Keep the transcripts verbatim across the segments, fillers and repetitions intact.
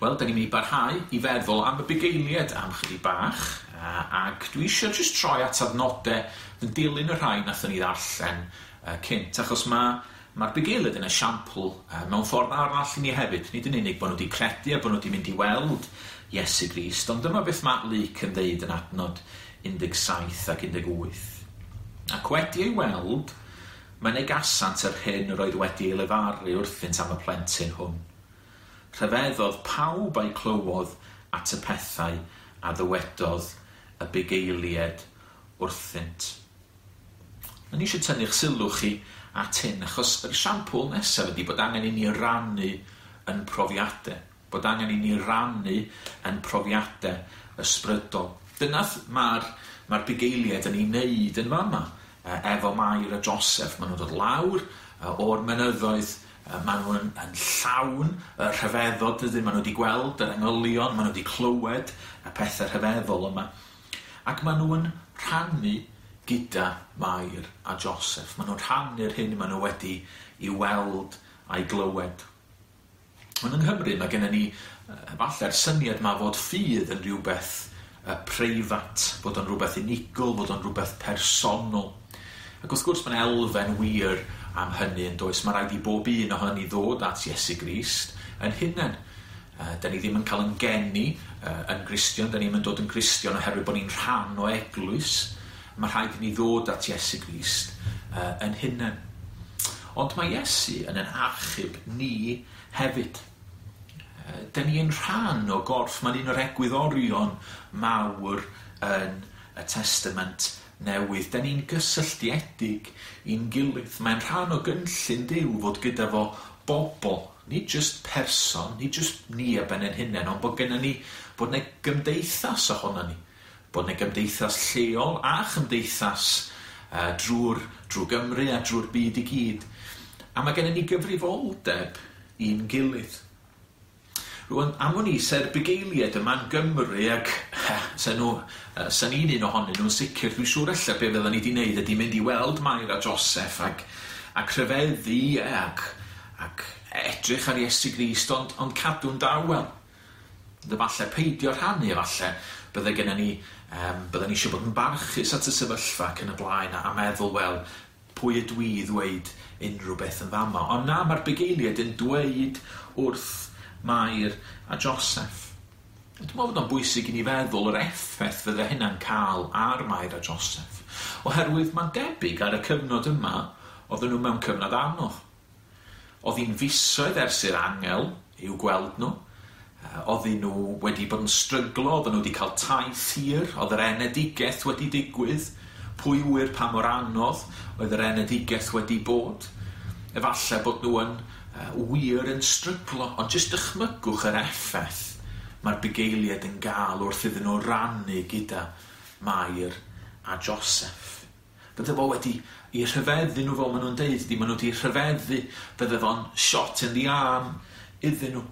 Wel, da ni'n mynd i barhau i feddwl am y bugeiliaid am chydig bach, ac dwi eisiau jyst troi at adnodau yn dilyn y rhai nathon ni ddarllen uh, cynt, achos mae mae'r bugeiliaid yn esiampl uh, mewn ffordd arall i ni hefyd. Nid yn unig bod nhw wedi credu a bod nhw wedi mynd i weld Iesu Grist, ond dyma beth mae Luc yn ddeud yn adnod un deg saith ac un deg wyth. Ac wedi ei weld, mynegasant yr hyn yr oedd wedi ei lefaru wrthynt am y plentyn hwn. Rhyfeddodd pawb a'i clywodd at y pethau a ddywedodd y bugeiliaid wrthynt. O'n i eisiau tynnu'ch sylw chi at hyn, achos yr esiampl nesaf ydy bod angen i ni rannu yn profiadau. Bod angen i ni rannu yn profiadau ysbrydol. Dyna mae'r mae'r bugeiliaid yn ei wneud yn fama, efo Mair a Joseph. Maen nhw'n dod lawr o'r mynyddoedd, maen nhw'n yn llawn y rhyfeddod, dydyn, maen nhw wedi gweld yr angylion, maen nhw wedi clywed y pethau rhyfeddol yma. Ac maen nhw'n rhannu gyda Mair a Joseph. Maen nhw'n rhannu'r hyn maen nhw wedi i weld a'i glywed. Ond yng Nghymru mae gennym ni falle'r syniad ma fod ffydd yn rhywbeth preifat, bod o'n rhywbeth unigol, bod o'n rhywbeth personol. Ac wrth gwrs mae'n elfen wir am hynny yn does. Mae rhaid i bob un ohonon ni ddod at Iesu Grist yn hunain. Uh, da ni ddim yn cael yn geni uh, yn Gristion, da ni ddim yn dod yn Gristion oherwydd bod ni'n rhan o eglwys. Mae rhaid i ni ddod at Iesu Grist uh, yn hunain. Ond mae Iesu yn ein achub ni hefyd. Uh, da ni yn rhan o gorff, mae'n un o'r egwyddorion mawr yn y Testament Newydd. Da ni'n gysylltiedig i'n gilydd. Mae'n rhan o gynllun Duw fod gyda fo bobl, nid just person, nid just ni a ben ein hunain, ond bod gennym ni, bod 'na gymdeithas ohono ni. Bod 'na gymdeithas lleol a chymdeithas uh, drwy'r drwy Gymru a drwy'r byd i gyd. A mae gennym ni gyfrifoldeb i'n gilydd. Rwan, am wn i, se'r bugeiliaid yma'n Gymru ac se nhw, se ni'n un ohonyn nhw'n sicr, dwi'n siŵr ella be fydden ni wedi wneud ydy mynd i weld Mair a Joseph ac, ac rhyfeddu ac, ac edrych ar Iesu Grist, ond, ond cadw'n dawel. Falle peidio rhannu, falle bydde gennym ni, um, bydden ni eisiau bod yn barchus at y sefyllfa ac yn y blaen a, a meddwl, wel, pwy ydw i ddweud unrhyw beth yn fama. Ond na, mae'r bugeiliaid yn dweud wrth Mair a Joseph. Dwi'n meddwl bod o'n bwysig i ni feddwl yr effaith fydde hynna'n cael ar Mair a Joseph. Oherwydd mae'n debyg ar y cyfnod yma, oedden nhw mewn cyfnod anodd. Oedd hi'n fisoedd ers i'r angel i'w gweld nhw. Oedden nhw wedi bod yn stryglo, oedden nhw wedi cael taith hir, oedd yr enedigaeth wedi digwydd. Pwy ŵyr pa mor anodd oedd yr enedigaeth wedi bod. Efallai bod nhw yn wir yn stryglo, ond jyst dychmygwch yr effaith mae'r bugeiliaid yn gael wrth iddyn nhw rannu gyda Mair a Joseph. Bydde fo wedi i rhyfeddu nhw fel maen nhw'n deud, di maen nhw wedi rhyfeddu, bydde fo'n shot in the arm iddyn nhw.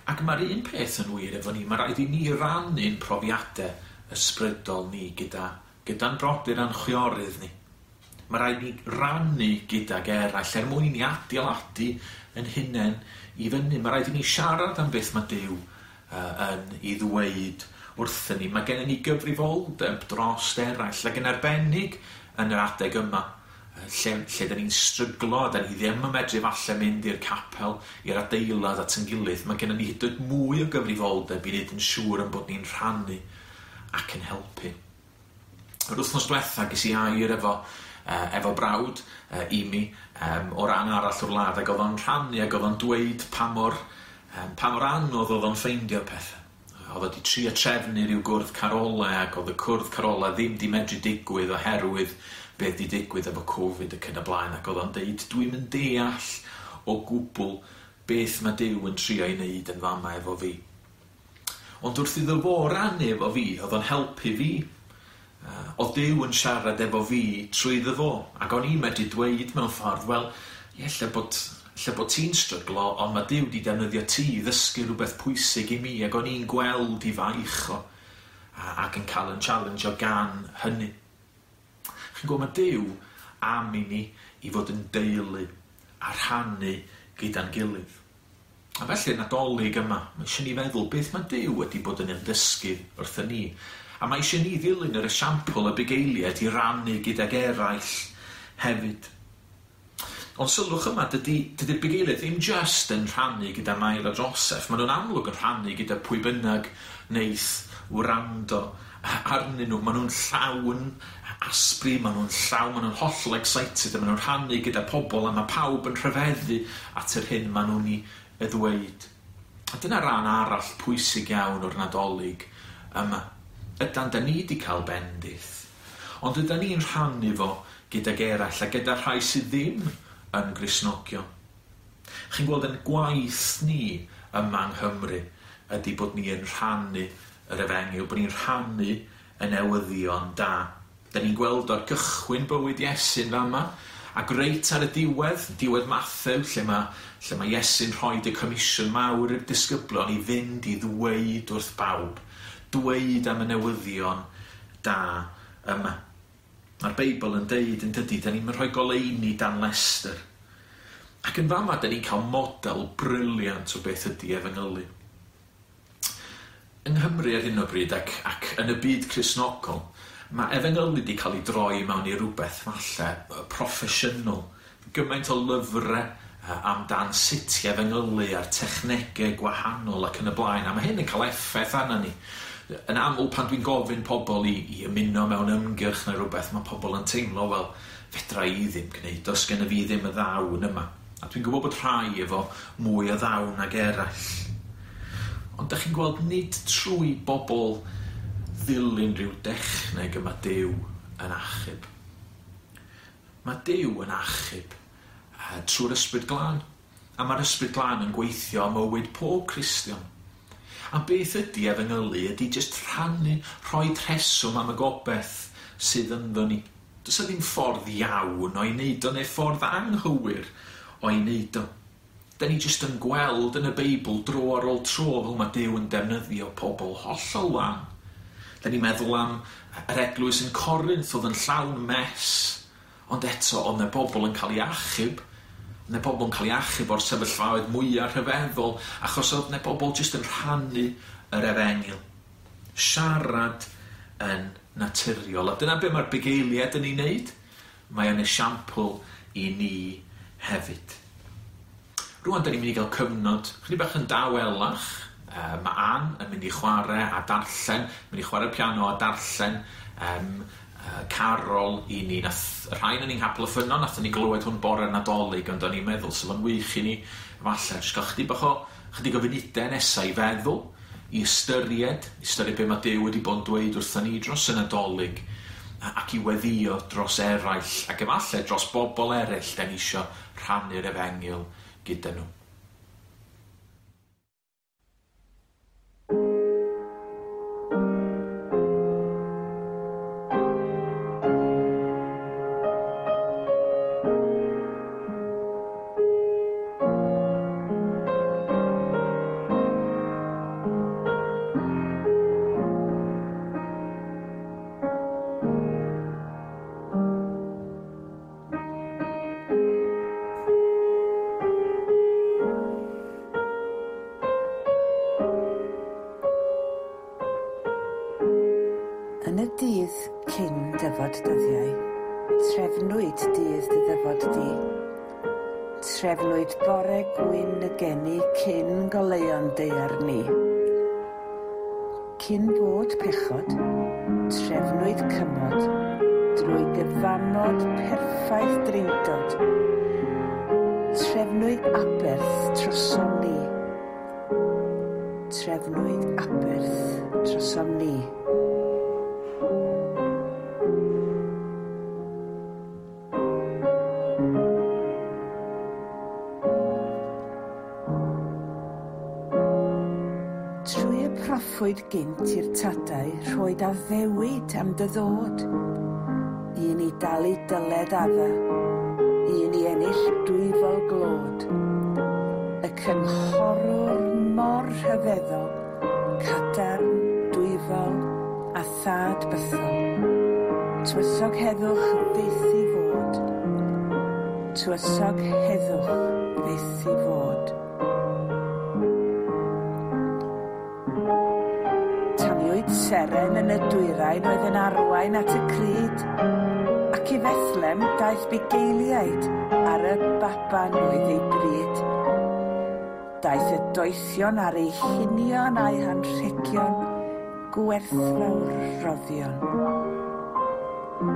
Ac mae'r un peth yn wir efo ni, mae rhaid i ni rannu'n profiadau ysbrydol ni gyda, gyda'n brodyr a'n chwiorydd ni. Mae rhaid ni rannu gydag eraill er mwyn i ni adeiladu yn hunain i fyny. Mae rhaid i ni siarad am beth mae Duw uh, yn ei ddweud wrthyn ni. Mae gennym ni gyfrifoldeb dros eraill ac yn arbennig yn yr adeg yma, lle, lle da ni'n stryglo, da ni ddim yn medru falle mynd i'r capel, i'r adeilad at yn gilydd. Mae gennym ni hyd yn oed mwy o gyfrifoldeb i wneud yn siŵr yn bod ni'n rhannu ac yn helpu. Yr wythnos diwetha ges i air efo Uh, efo brawd uh, i mi um, o ran arall o'r wlad, ac oedd o'n rhannu ac oedd o'n dweud pa mor, um, pa mor anodd oedd o'n ffeindio pethau. Oedd o wedi trio trefnu rhyw gwrdd carolau ac oedd y cwrdd carolau ddim di medru digwydd oherwydd beth di digwydd efo Covid ac yn y blaen, ac oedd o'n deud dwi'n mynd deall o gwbl beth mae Duw yn trio ei wneud yn fama efo fi. Ond wrth iddo fo rannu efo fi, oedd o'n helpu fi. Uh, oedd Duw yn siarad efo fi trwy iddo fo, ac o'n i'n medru dweud mewn ffordd, wel, ie, lle bod, lle bod ti'n stryglo, ond mae Duw wedi defnyddio ti i ddysgu rhywbeth pwysig i mi, ac o'n i'n gweld i faich o, a, ac yn cael yn challenge o gan hynny. Chi'n gwybod, mae Duw am i ni i fod yn deulu a rhannu gyda'n gilydd. A felly Nadolig yma, mae eisiau ni feddwl beth mae Duw wedi bod yn ymddysgu wrthyn ni. A mae eisiau ni ddilyn yr esiampl y bugeiliaid i rannu gydag eraill hefyd. Ond sylwch yma, dydy, dydy'r bugeiliaid ddim just yn rhannu gyda Mair a Joseph. Maen nhw'n amlwg yn rhannu gyda pwy bynnag neith wrando arnyn nhw. Maen nhw'n llawn asbri, maen nhw'n llawn, maen nhw'n hollol excited, a maen nhw'n rhannu gyda pobl, a mae pawb yn rhyfeddu at yr hyn maen nhw'n ei ddweud. A dyna ran arall pwysig iawn o'r Nadolig yma. Ydan, da ni wedi cael bendith, ond ydan ni'n rhannu fo gydag eraill a gyda rhai sydd ddim yn Gristnogion. Chi'n gweld yn gwaith ni yma yng Nghymru ydy bod ni yn rhannu yr efengyl, bod ni'n rhannu y newyddion da. Da ni'n gweld o'r gychwyn bywyd Iesu'n fama, ac reit ar y diwedd, diwedd Mathew, lle mae, lle mae Iesu'n rhoi y comisiwn mawr i'r disgyblion i fynd i ddweud wrth bawb, dweud am y newyddion da yma. Mae'r Beibl yn deud yn dydy, da ni'n rhoi goleuni dan lestr. Ac yn fama, da ni'n cael model brilliant o beth ydy efengylu. Yng Nghymru ar hyn o bryd ac, ac yn y byd Cristnogol, mae efengylu wedi cael ei droi mewn i rhywbeth falle proffesiynol. Gymaint o lyfrau amdan sut i efengylu a'r technegau gwahanol ac yn y blaen. A mae hyn yn cael effaith arna ni. Yn aml pan dwi'n gofyn pobl i, i ymuno mewn ymgyrch neu rhywbeth, mae pobl yn teimlo, wel, fedra i ddim gwneud, does gen i fi ddim y ddawn yma. A dwi'n gwybod bod rhai efo mwy o ddawn ag eraill. Ond dach chi'n gweld nid trwy bobl ddilyn rhyw dechneg yma Duw yn achub. Mae Duw yn achub uh, trwy'r Ysbryd Glân. A mae'r Ysbryd Glân yn gweithio am mywyd pob Cristion. A beth ydy efengylu ydy jyst rhannu, rhoi rheswm am y gobeith sydd ynddo ni. Does yna ddim ffordd iawn o'i wneud o, neu ffordd anghywir o'i wneud o. Da ni jyst yn gweld yn y Beibl dro ar ôl tro fel mae Duw yn defnyddio pobl hollol wan. Da ni'n meddwl am yr eglwys yn Corinth oedd yn llawn mess, ond eto oedd 'na bobl yn cael ei achub, oedd 'na bobl yn cael ei achub o'r sefyllfaoedd mwyaf rhyfeddol, achos oedd 'na bobl jyst yn rhannu yr efengyl. Siarad yn naturiol. A dyna be mae'r bugeiliaid yn ei wneud. Mae o'n esiampl i ni hefyd. Rŵan, da ni'n mynd i gael cyfnod chydig bach yn dawelach. Uh, mae Ann yn mynd i chwarae a darllen, mynd i chwarae piano a darllen um, uh, carol i ni. Nath y rhain yn ni'n Nghapel y Ffynnon, nathon ni glywed hwn bore Nadolig, ond o'n i'n meddwl, so fo'n wych i ni falle jyst gael chydig bach o, chydig o funudau nesaf i feddwl, i ystyried, i ystyried be mae Duw wedi bod yn dweud wrthon ni dros y Nadolig, ac i weddïo dros eraill, ac efallai dros bobl eraill da ni isio rhannu'r efengyl gyda nhw. Yn y dydd cyn dyfod dyddiau, trefnwyd dydd dy ddyfod di. Trefnwyd bore gwyn y geni cyn goleuon daear ni. Cyn bod pechod, trefnwyd cymod drwy gyfamod perffaith drindod. Trefnwyd aberth trosom ni. Trefnwyd aberth trosom ni. Trwy y proffwyd gynt i'r tadau rhoed addewid am dy ddod. Un i dalu dyled adda, un i ennill dwyfol glod. Y cynghorwr mor rhyfeddol, cadarn, dwyfol a thad bythol. Tywysog heddwch fyth i fod. Tywysog heddwch fyth i fod. Gwelwyd seren yn y dwyrain oedd yn arwain at y crud, ac i Fethlem daeth bugeiliaid ar y baban oedd ei bryd. Daeth y doethion ar eu hunion a'u hanrhegion, gwerthfawr roddion.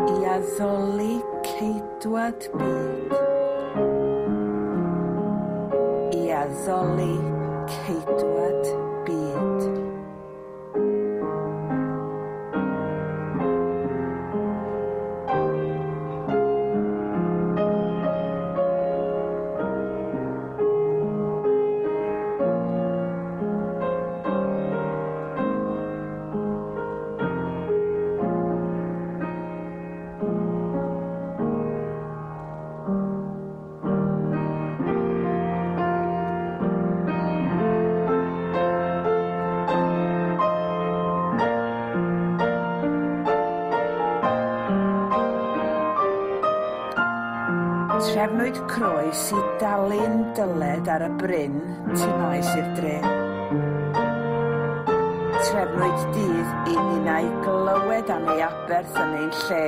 I addoli ceidwad byd. I addoli ceidwad byd. Trefnwyd croes i dalu'n dyled ar y bryn tu maes i'r dre. Trefnwyd dydd i ninnau glywed am ei aberth yn ein lle.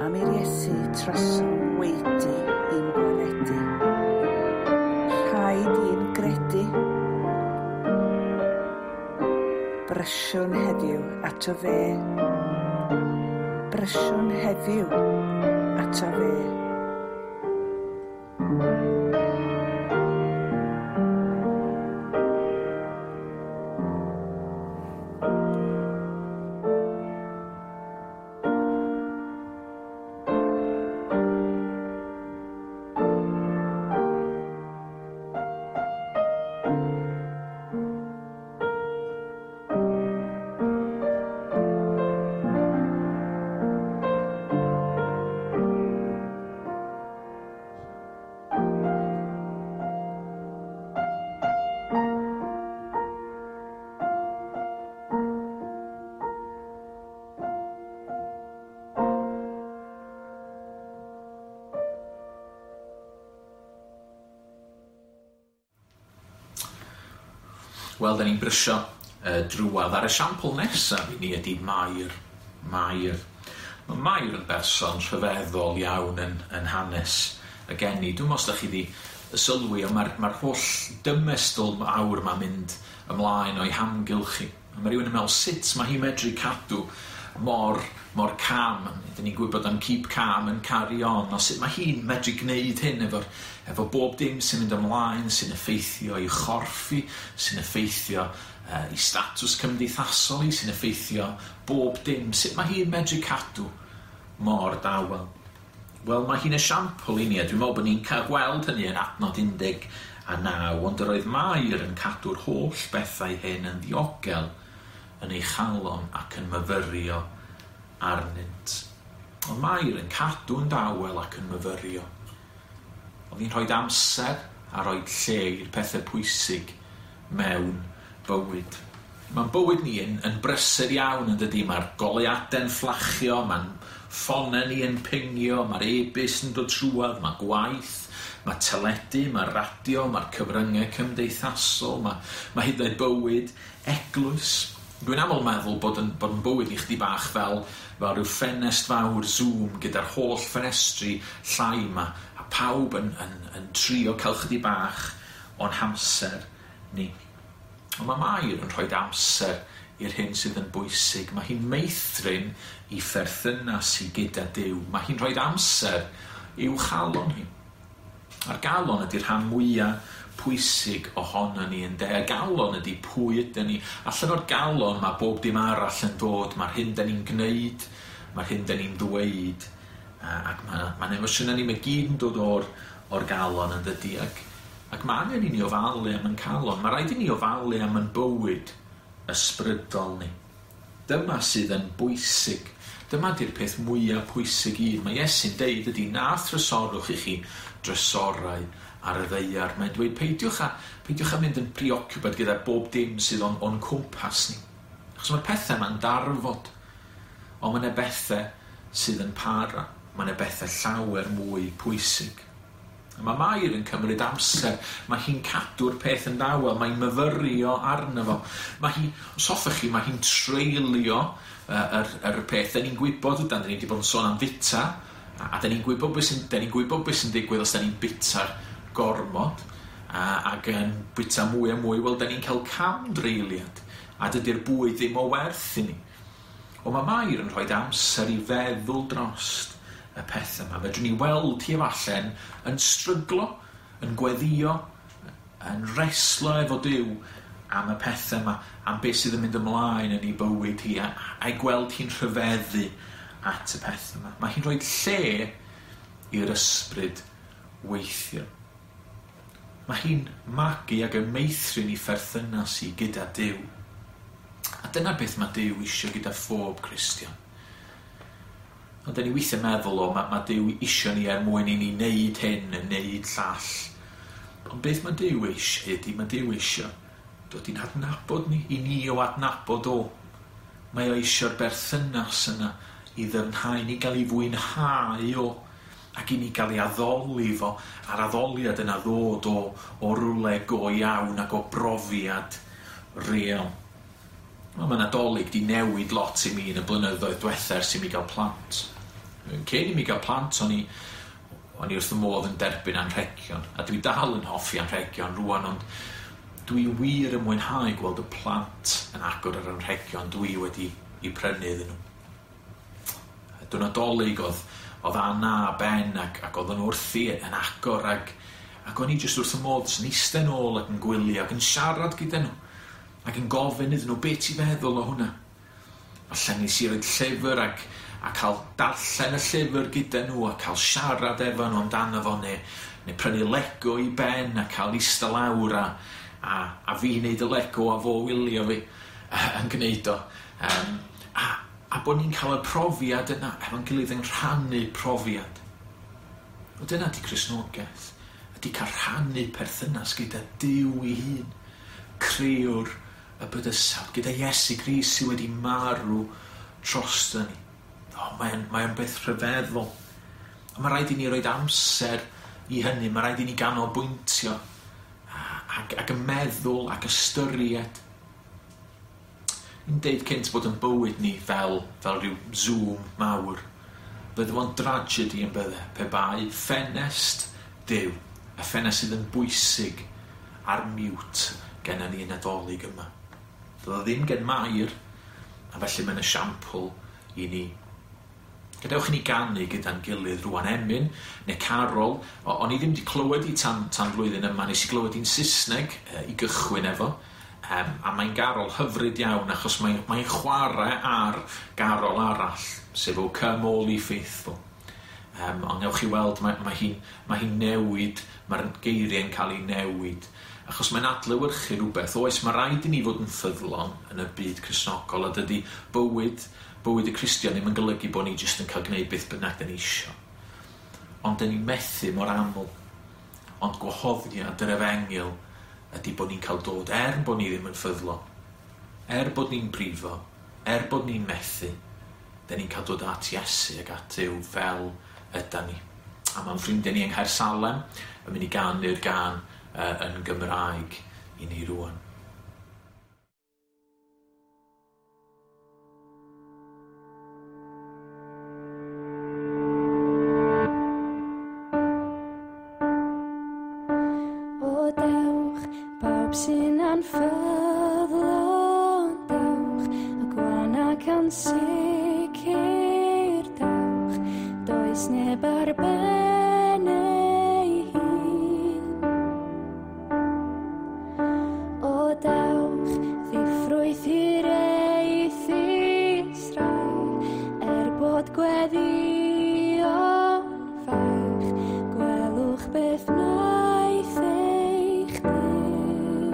Am i'r Iesu trosom waedu i'n gwaredu. Rhaid i'n gredu. Brysiwn heddiw ato fe. Brysiwn heddiw ato fe. Wel, da ni'n brysio uh, drwadd ar esiampl nesaf i ni ydy Mair. Mair. Mae Mair yn berson rhyfeddol iawn yn, yn hanes y geni. Dwi'n meddwl os da chi 'di sylwi, ond mae'r mae'r holl dymestl mawr ma'n mynd ymlaen o'i hamgylch hi. A mae rhywun yn meddwl sut mae hi'n medru cadw mor, mor calm. Dyn ni'n gwybod am keep calm and carry on. O sut mae hi'n medru gwneud hyn efo'r efo bob dim sy'n mynd ymlaen, sy'n effeithio i'w chorff hi, sy'n effeithio uh, i statws cymdeithasol hi, sy'n effeithio bob dim. Sut mae hi'n medru cadw mor dawel? Wel, mae hi'n esiampl i ni, a dwi'n meddwl bod ni'n cael gweld hynny yn adnod undeg a naw, ond yr oedd Mair yn cadw'r holl bethau hyn yn ddiogel yn ei chalon ac yn myfyrio arnynt. Ond Mair yn cadw'n dawel ac yn myfyrio. Oedd hi'n rhoi amser a rhoi lle i'r pethau pwysig mewn bywyd. Mae'n bywyd ni yn, yn brysur iawn yn dydy. Mae'r goleuadau'n fflachio, mae'n ffonau ni yn pingio, mae'r e-byst yn dod trwadd, mae gwaith, mae teledu, mae radio, mae'r cyfryngau cymdeithasol, mae, mae hyd yn oed bywyd eglwys. Dwi'n aml meddwl bod yn, bod yn bywyd ni chdi bach fel, fel rhyw ffenest fawr Zoom gyda'r holl ffenestri llai yma, a pawb yn, yn, yn trio cael chydig bach o'n hamser ni. Ond mae Mair yn rhoi amser i'r hyn sydd yn bwysig. Mae hi'n meithrin i pherthynas hi gyda Duw. Mae hi'n rhoi amser i'w chalon hi. A'r galon ydy'r rhan mwyaf pwysig ohono ni ynde. Y galon ydy pwy ydyn ni. Allan o'r galon mae bob dim arall yn dod. Mae'r hyn da ni'n gwneud, mae'r hyn da ni'n ddweud, ac mae'n ma emosiynau ni, mae gyd yn dod o'r, o'r galon yn dydy. Ac, ac mae angen i ni ofalu am yn calon. Mae rhaid i ni ofalu am yn bywyd ysbrydol ni. Dyma sydd yn bwysig. Dyma di'r peth mwyaf pwysig i. Mae Iesu'n deud ydy na thrysorwch i chi drysorau ar y ddaear. Mae'n dweud peidiwch a, peidiwch a mynd yn preoccupied gyda bob dim sydd o'n, o'n cwmpas ni. Achos mae'r pethau ma'n darfod. Ond mae yna bethau sydd yn para. Mae yna bethau llawer mwy pwysig. Mae Mair yn cymryd amser, mae hi'n cadw'r peth yn dawel, mae'n myfyrio arno fo. Mae hi, os hoffech chi, mae hi'n treulio uh, yr, yr peth. Da ni'n gwybod, dan ni wedi bod yn sôn am fita, a, a da ni'n gwybod beth sy'n, da ni'n gwybod beth sy'n digwydd os da ni'n bita'r gormod, a, ac yn bita mwy a mwy, wel, da ni'n cael camdreuliad, a dydy'r bwyd ddim o werth i ni. Ond mae Mair yn rhoi amser i feddwl drost y peth yma. Fedrwn ni weld hi efalle'n yn stryglo, yn gweddio, yn reslo efo Duw am y pethau yma, am beth sydd yn mynd ymlaen yn ei bywyd hi, a, a'i gweld hi'n rhyfeddu at y peth yma. Mae hi'n rhoi lle i'r ysbryd weithio. Mae hi'n magu ac yn meithrin ei pherthynas hi gyda Duw. A dyna beth mae Duw eisiau gyda phob Cristion. Ond da ni weithiau meddwl o, mae, mae Duw isio ni er mwyn i ni wneud hyn, yn wneud llall. Ond beth mae Duw eisiau ydy, mae Duw eisiau dod i'n adnabod ni, i ni o adnabod o. Mae o eisiau'r berthynas yna i ddyfnhau, ni gael ei fwynhau o, ac i ni gael ei addoli fo, a'r addoliad yna ddod o, o rywle go iawn ac o brofiad real. Wel, mae Nadolig di newid lot i mi yn y blynyddoedd diwetha ers i mi gael plant. Cyn i mi gael plant, o'n i, o'n i wrth y modd yn derbyn anrhegion. A dwi dal yn hoffi anrhegion rwan, ond dwi wir yn mwynhau gweld y plant yn agor yr anrhegion dwi wedi i prynu iddyn nhw. Dwi'n Nadolig oedd, oedd Anna a Ben ac, ac oedd yn wrthi yn agor ac, ac o'n i jyst wrth y modd sy'n eistedd nôl ac yn gwylio ac yn siarad gyda nhw. Ac yn gofyn iddyn nhw, be ti'n feddwl o hwnna? Falle nes i roed llyfr ac, a cael darllen y llyfr gyda nhw a cael siarad efo nhw amdano fo, neu, neu prynu Lego i Ben a cael eistedd lawr a, a, a fi wneud y Lego a fo wylio fi yn gwneud o. Um, a, a bod ni'n cael y profiad yna efo'n gilydd yn rhannu profiad. O dyna di Cristnogaeth. Ydy cael rhannu perthynas gyda Duw ei hun, crëwr y bydysawd, gyda Iesu Grist sydd wedi marw drosto ni. O, mae'n mae beth rhyfeddol. A mae rhaid i ni roed amser i hynny, mae rhaid i ni ganolbwyntio ac, ac y meddwl ac ystyried. Ni'n deud cynt bod yn bywyd ni fel, fel rhyw Zoom mawr. Bydde fo'n tragedy yn bydde, pe bai ffenest Duw, y ffenest sydd yn bwysig ar mute genna ni yn Nadolig yma. Doedd o ddim gen Mair, a felly mae'n esiampl i ni. Gadewch i ni ganu gyda'n gilydd rwan emyn, neu carol. O, o'n i ddim wedi clywed i tan, tan flwyddyn yma, nes i glywed i'n Saesneg e, i gychwyn efo. Um, a mae'n garol hyfryd iawn, achos mae'n mae chwarae ar garol arall, sef O Come All Ye Faithful. Um, ond newch chi weld, mae, mae hi'n mae hi newid, mae'r geiriau'n cael ei newid. Achos mae'n adlewyrchu rhywbeth. Oes, mae rhaid i ni fod yn ffyddlon yn y byd Cristnogol, a dydy bywyd, bywyd y Cristion ddim yn golygu bod ni jyst yn cael gwneud beth bynnag da ni isio. Ond da ni'n methu mor aml. Ond gwahoddiad yr efengyl ydy bod ni'n cael dod, er bod ni ddim yn ffyddlon, er bod ni'n brifo, er bod ni'n methu, da ni'n cael dod at Iesu ac at Duw fel yda ni. A mae'n ffrindiau ni yng Nghaersalem yn mynd i ganu'r gân uh, yn Gymraeg i ni rwan. O dewch, pawb sy'n anffyddlon, dewch, y gwan ac ansicr, dewch, does neb ar ben ei hun. O dewch, ddiffrwyth hiraethus rai, er bod gweddïo'n fach, gwelwch beth wnaeth eich Duw.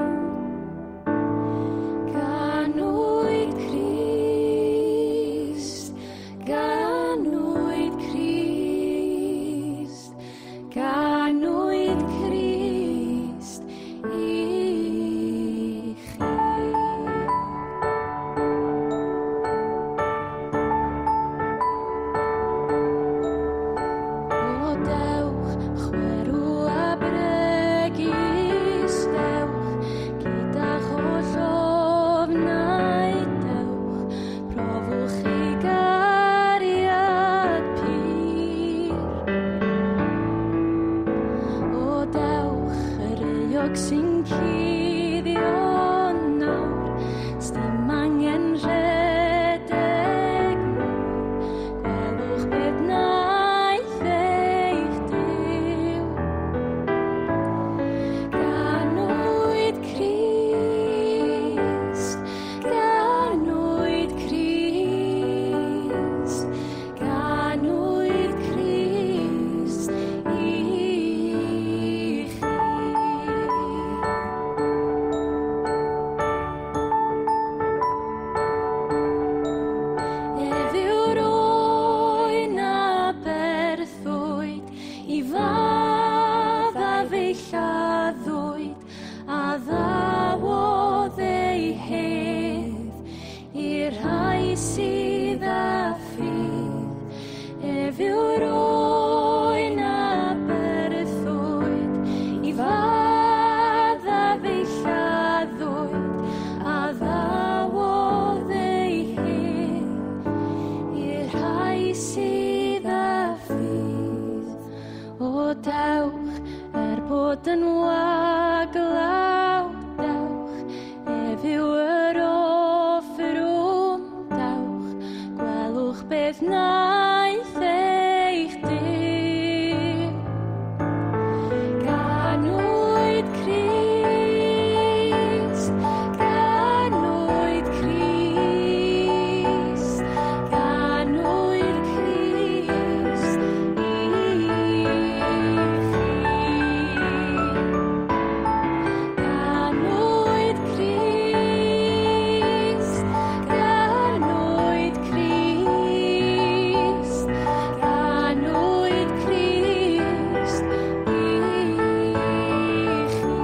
Ganwyd Crist, ganwyd Crist, Ceiniog sy'n cuddio nawr, sdim angen rhedeg mawr, gwelwch beth wnaeth eich Duw. Ganwyd Crist, ganwyd Crist, ganwyd Crist i chi. Ef yw'r oen a berthwyd i fadda fe'i lladdwyd, a ddawodd ei hedd i'r rhai sydd â ffydd. Ef yw'r oen a berthwyd i fadda fe'i lladdwyd, a ddawodd ei hedd i'r rhai sydd â ffydd. O dewch, er bod yn waglaw, dewch, ef yw yr offrwm, dewch, gwelwch beth wnaeth eich Duw. Ganwyd Crist, ganwyd Crist, ganwyd Crist i chi. Ganwyd Crist, ganwyd Crist, ganwyd Crist i chi.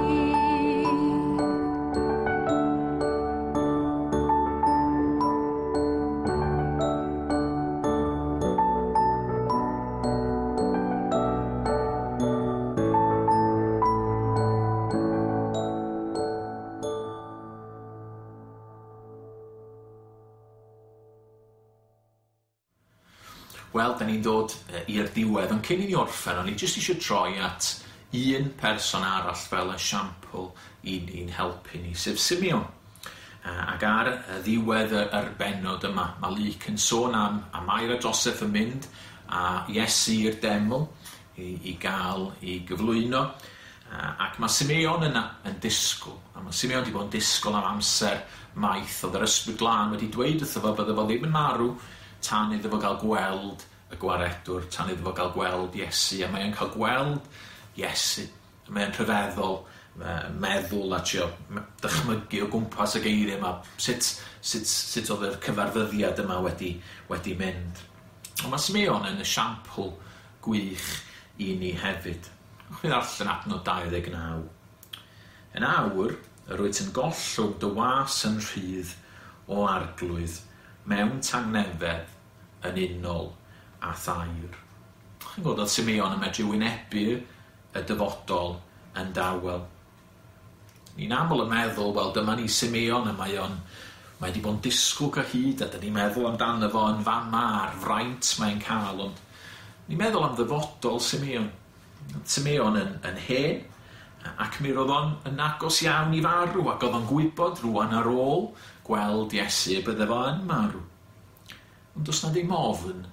Wel, da ni'n dod yy, i'r diwedd, ond cyn i ni orffen, o'n i jyst eisiau troi at un person arall fel esiampl i ni'n helpu ni, sef Simeon. Yy, Ac ar y ddiwedd y- yr bennod yma, mae Luc yn sôn am, am Mair a Joseph yn mynd a Iesu i'r deml i, i gael i gyflwyno. Yy, Ac mae Simeon yna yn disgwyl. A mae Simeon wedi bod yn disgwyl am amser maith. Oedd yr Ysbryd Glân wedi dweud wrtho fo bydde fo ddim yn marw tan iddo fo gael gweld y gwaredwr, tan iddo fo gael gweld Iesu. A mae o'n cael gweld Iesu. Mae o'n rhyfeddol yy, meddwl a trio m- dychmygu o gwmpas y geiriau yma, sut, sut, sut oedd yr cyfarfyddiad yma wedi, wedi mynd. Ond mae Simeon yn esiampl gwych i ni hefyd. Ewch chi ddarllen adnod dau ddeg naw. Yn awr, yr wyt yn gollwng dy was yn rhydd o Arglwydd mewn tangnefedd yn unol a thair. Chi'n gweld oedd Simeon yn medru wynebu y dyfodol yn dawel. Ni'n aml yn meddwl, wel, dyma ni Simeon, a mae o'n mae wedi bod yn disgwyl cyhyd, a dyn ni'n meddwl amdano fo yn fama a'r fraint mae'n cael, ond ni'n meddwl am ddyfodol Simeon. Simeon yn, yn hen, ac mi roedd o'n yn agos iawn i farw, ac oedd o'n gwybod rŵan ar ôl gweld Iesu y bydde fo yn marw. Ond does na ddim ofn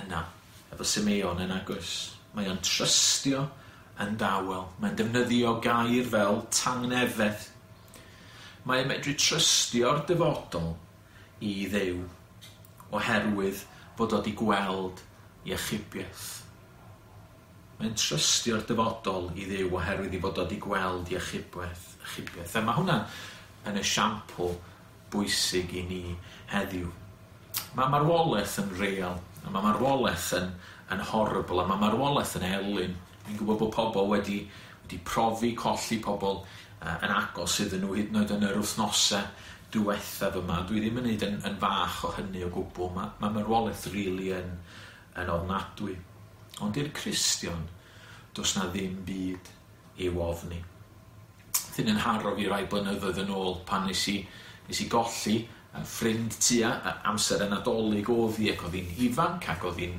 yna efo Simeon yn agos. Mae o'n trystio yn dawel. Mae'n defnyddio gair fel tangnefedd. Mae'n medru trystio'r dyfodol i Dduw oherwydd fod o wedi gweld iachubiaeth. Mae'n trystio'r dyfodol i Dduw oherwydd i fod o wedi gweld iachubiaeth. Achubiaeth. A mae hwnna yn esiampl bwysig i ni heddiw. Mae marwolaeth yn real, a mae marwolaeth yn, yn horrible, a mae marwolaeth yn elyn. Fi'n gwybod bod pobl wedi, wedi profi colli pobl uh, yn agos iddyn nhw hyd yn oed yn yr wythnosau diwethaf yma. Dwi ddim yn neud yn, yn fach o hynny o gwbl. Mae, mae marwolaeth really yn, yn ofnadwy. Ond i'r Cristion, does na ddim byd i'w ofni. Thyn yn haro fi rai blynyddoedd yn ôl pan nes i, nes i golli ffrind tua amser y Nadolig oedd hi, ac oedd hi'n ifanc ac oedd hi'n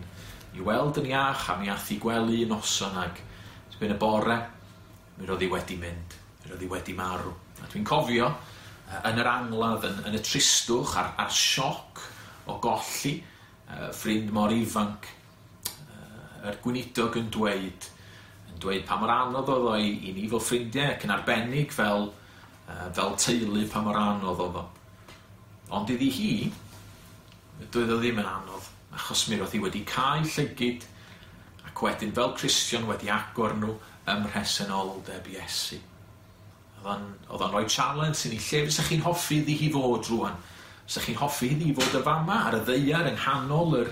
i weld yn iach a mi ath i gwely noson, ac erbyn y bore mi roedd hi wedi mynd. Roedd hi wedi marw. A dwi'n cofio yn yr angladd, yn, yn y tristwch a'r, a'r sioc o golli uh, ffrind mor ifanc, uh, yr gweinidog yn dweud, yn dweud pa mor anodd oedd o i, i ni fel ffrindiau ac yn arbennig fel, uh, fel teulu pa mor anodd oedd o. Ond iddi hi, doedd o ddim yn anodd, achos mi roedd hi wedi cau llygid ac wedyn fel Cristion wedi agor nhw ym mhresenoldeb Iesu. Oedd o'n rhoi challenge i ni, lle fysa chi'n hoffi iddi hi fod rwan? Fysa chi'n hoffi iddi hi fod y fama ar y ddaear yng nghanol yr,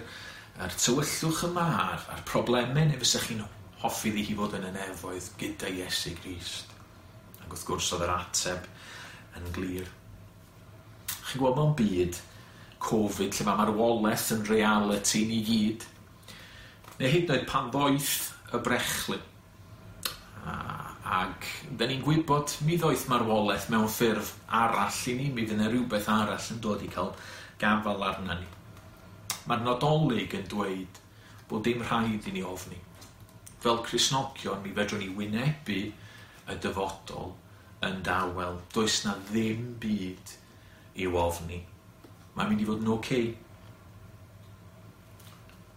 yr tywyllwch yma a'r, a'r problemau, neu fysa chi'n hoffi iddi hi fod yn y nefoedd gyda Iesu Grist? Ac wrth gwrs oedd yr ateb yn glir. Chi'n gweld mewn byd Covid lle mae marwolaeth yn reality ni gyd, neu hyd yn oed pan ddoeth y brechlyn. Ac da ni'n gwybod mi ddoeth marwolaeth mewn ffurf arall i ni, mi fydd yna rhywbeth arall yn dod i cael gafael arna ni. Mae'r Nadolig yn dweud bod dim rhaid i ni ofni. Fel Cristnogion, mi fedrwn ni wynebu y dyfodol yn dawel. Does na ddim byd i'w ofni. Mae'n mynd i fod yn oce.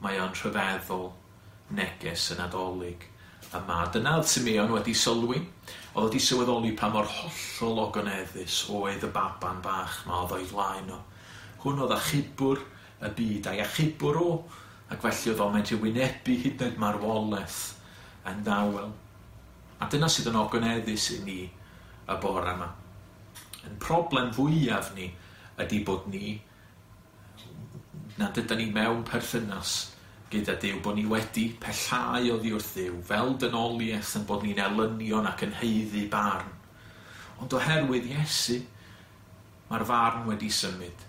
Mae o'n rhyfeddol neges y Nadolig yma. Dyna oedd Simeon wedi sylwi. Oedd wedi sylweddoli pa mor hollol ogoneddus oedd y baban bach ma oedd o'i flaen o. Hwn oedd achubwr y byd a'i achubwr o, ac felly oedd o'n medru wynebu hyd yn oed marwolaeth yn dawel. A dyna sydd yn ogoneddus i ni y bore yma. Yn problem fwyaf ni ydy bod ni, nad ydyn ni mewn perthynas gyda Duw, bod ni wedi pellhau oddi wrth Dduw, fel dynoliaeth yn bod ni'n elynion ac yn haeddu barn. Ond oherwydd Iesu, mae'r farn wedi symud.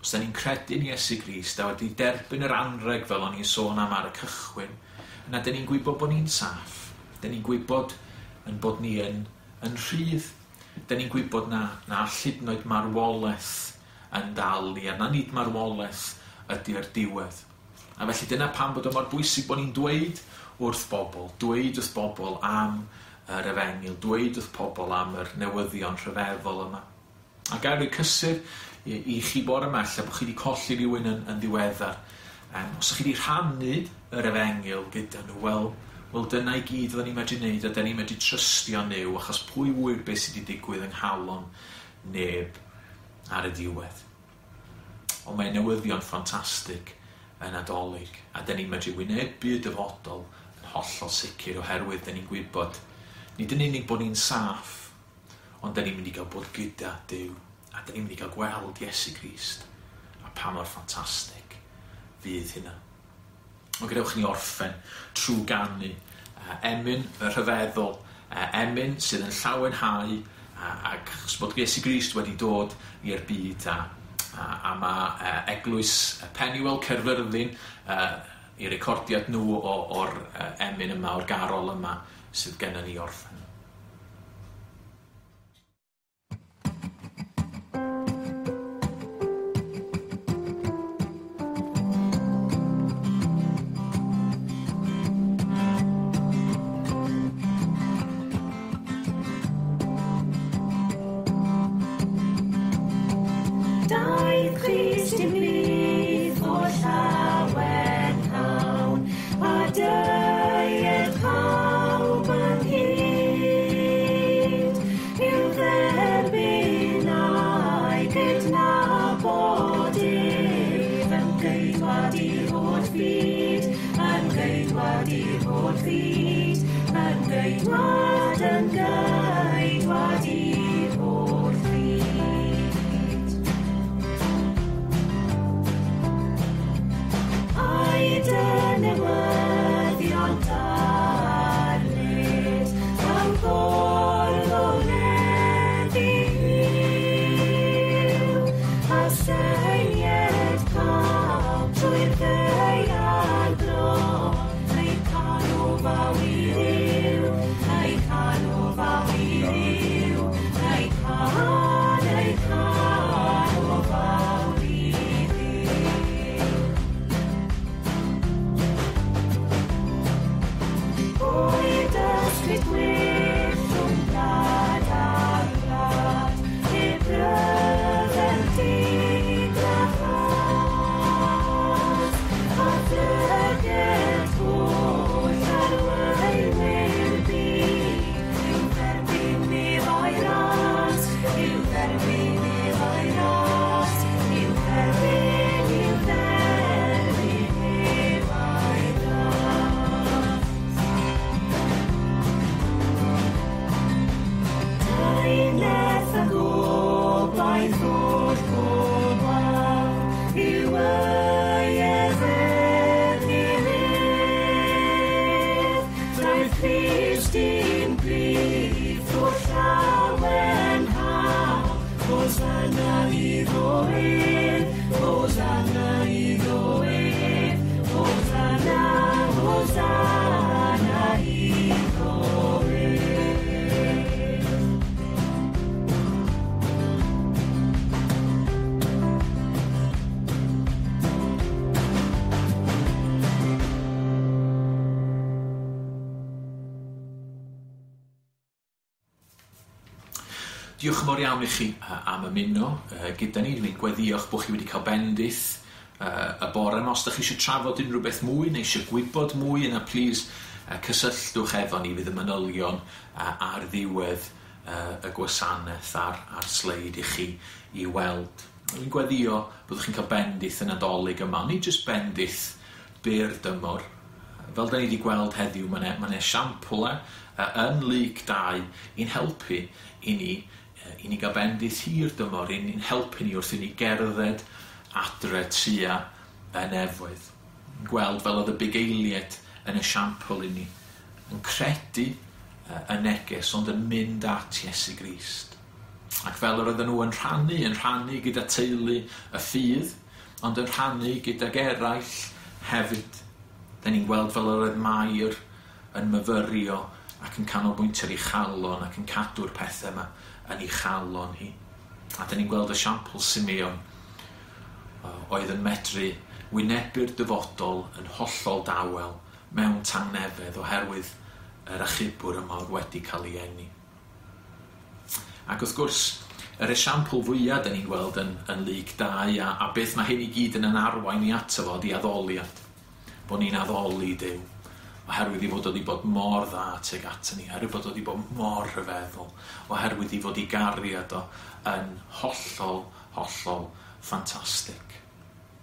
Os da ni'n credu'n Iesu Grist a wedi derbyn yr anreg fel o'n i'n sôn am ar y cychwyn, yna da ni'n gwybod bod ni'n saff. Da ni'n gwybod yn bod ni yn, yn rhydd. Da ni'n gwybod na, na hyd yn oed marwolaeth yn dal ni, a na nid marwolaeth ydy'r diwedd. A felly dyna pam bod o mor bwysig bod ni'n dweud wrth bobl, dweud wrth bobl am yr efengyl, dweud wrth pobl am yr newyddion rhyfeddol yma. A gael rhoi cysur i, i chi bore yma, lle bod chi wedi colli rhywun yn, yn ddiweddar. Um, os ydych chi wedi rhannu yr efengyl gyda nhw, wel, wel dyna i gyd oedden ni'n medru wneud, a dyna ni'n medru trystio Nuw, achos pwy ŵyr beth sydd wedi digwydd yng nghalon neb ar y diwedd. Ond mae newyddion ffantastig yn Nadolig, a dyn ni'n medru wynebu y dyfodol yn hollol sicr oherwydd dyn ni'n gwybod nid yn unig bod ni'n saff, ond dyn ni'n mynd i gael bod gyda Duw, a dyn ni'n mynd i gael gweld Iesu Grist, a pa mor ffantastig fydd hynna. Ond gadewch ni orffen trwy ganu uh, emyn y rhyfeddol, uh, emyn sydd yn llawenhau, uh, ac achos bod Iesu Grist wedi dod i'r byd, a A, a mae uh, eglwys Penuel Caerfyrddin uh, i recordiad nhw o, o'r uh, emyn yma, o'r garol yma sydd gennym ni orffen. With Crist i'n brif o'r llawenha, Hosanna iddo ef, Hosanna iddo ef, Hosanna, Hosanna iddo ef. Diolch yn fawr iawn i chi am ymuno gyda ni. Dwi'n gweddïo bod chi wedi cael bendith y bore yma. Os ydych chi eisiau trafod unrhyw beth mwy neu eisiau gwybod mwy, yna plîs cysylltwch efo ni, fydd y manylion ar ddiwedd y gwasanaeth ar, ar sleid i chi i weld. Dwi'n gweddïo byddwch chi'n cael bendith y Nadolig yma, nid jyst bendith byr dymor. Fel da ni wedi gweld heddiw, mae yna ma esiamplau yn Luc dau i'n helpu i ni i ni gael bendith hir dymor, i ni'n helpu ni wrth i ni gerdded adre tua y nefoedd. Gweld fel oedd y bugeiliaid yn esiampl i ni, yn credu y neges, ond yn mynd at Iesu Grist. Ac fel yr oedden nhw yn rhannu, yn rhannu gyda teulu y ffydd, ond yn rhannu gydag eraill hefyd. Da ni'n gweld fel yr oedd Mair yn myfyrio ac yn canolbwyntio ar ei chalon ac yn cadw'r pethau yma yn ei chalon hi. A da ni'n gweld esiampl Simeon oedd yn medru wynebu'r dyfodol yn hollol dawel mewn tangnefedd oherwydd yr achubwr yma oedd wedi cael ei eni. Ac wrth gwrs, yr esiampl fwyaf da ni'n gweld yn, yn Luc dau a, a beth mae hyn i gyd yn yn arwain i ato fo ydi addoliad. Bod ni'n addoli Duw, oherwydd i fod wedi bod mor dda tuag ato ni, oherwydd bod wedi bod mor rhyfeddol, oherwydd i fod i gariad o yn hollol, hollol ffantastig.